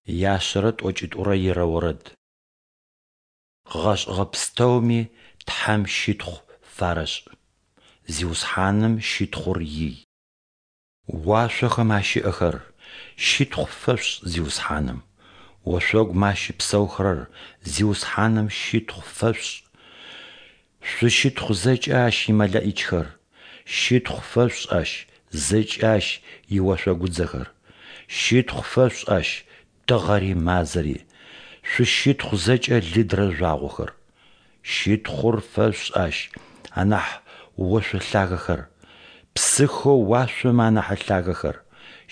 Яшъэрэ тӏокӏитӏурэ ирэ орэд. Къыгъэшӏыгъэ пстэуми Тхьэм щытхъу фарэшӏ! Зиусхьаным щытхъур ий! Уашъохэм ащыӏэхэр, щытхъу фэшъушӏ Зиусхьаным! Ошъогум ащыпсэухэрэр, Зиусхьаным щытхъу фэшъушӏ! Шъущытхъу зэкӏэ Ащ имэлэӏичхэр! Щытхъу фэшъушӏ Ащ, зэкӏэ Ащ иошъогудзэхэр! Щытхъу фэшъушӏ Ащ, тыгъэри мазэри! Шъущытхъу зэкӏэ лыдрэ жъуагъохэр! Щытхъур фэшъушӏ Ащ, анахь ошъо лъагэхэр, псыхэу уашъом анахь лъагэхэр!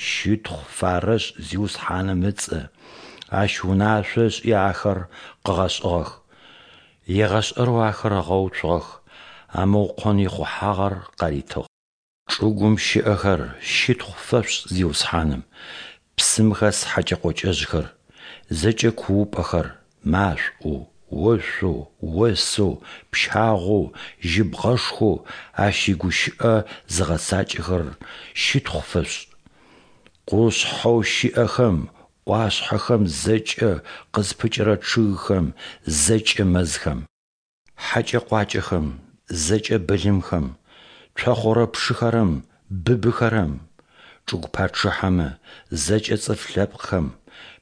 Щытхъу фарэшӏ Зиусхьаным ыцӏэ, Ащ унашъо ышӏи ахэр къыгъэшӏыгъэх. Егъэшӏэрэу ахэр ыгъэуцугъэх, амыукъон ихъухьагъэр къаритыгъ. Чӏыгум щыӏэхэр, щытхъу фэшъушӏ Зиусхьаным, псым хэс хьэкӏэ-къокӏэжъхэр, зэкӏэ куупӏэхэр, машӏоу, ошъоу, осэу, пщагъоу, жьыбгъэшхоу Ащ игущыӏэ зыгъэцакӏэхэрэр, щытхъу фэшъушӏ. Къушъхьэу щыӏэхэм, ӏуашъхьэхэм зэкӏэ къызпыкӏэрэ чъыгхэм, зэкӏэ мэзхэм. Хьэкӏэ-къуакӏэхэм, зэкӏэ былымхэм, цохъорэпшыхэрэм, быбыхэрэм, чӏыгу пачъыхьэмэ, зэкӏэ цӏыф лъэпкъхэм,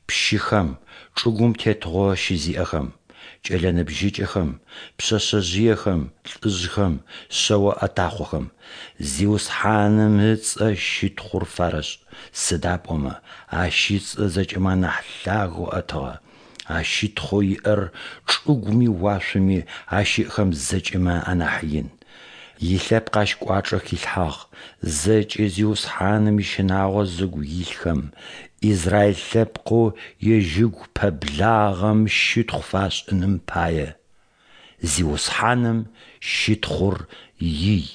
пщыхэм, чӏыгум тетыгъо щызиӏэхэм, кӏэлэ ныбжьыкӏэхэм, пшъэшъэжъыехэм, лӏыжъхэм, шъэо ӏэтахъохэм. Зиусхьаным ыцӏэ щытхъур фарэшӏ, сыда пӏомэ Ащ ыцӏэ зэкӏэмэ анахь лъагэу ӏэтыгъэ, Ащ щытхъоу иӏэр чӏыгуми уашъоми ащыӏэхэм зэкӏэмэ анахь ин. Илъэпкъ Ащ кӏуачӏэ хилъхьагъ, зэкӏэ Зиусхьаным ищынагъо зыгу илъхэм, Израиль лъэпкъэу Ежь ыгу пэблагъэм щытхъу фашӏыным пае. Зиусхьаным щытхъур ий!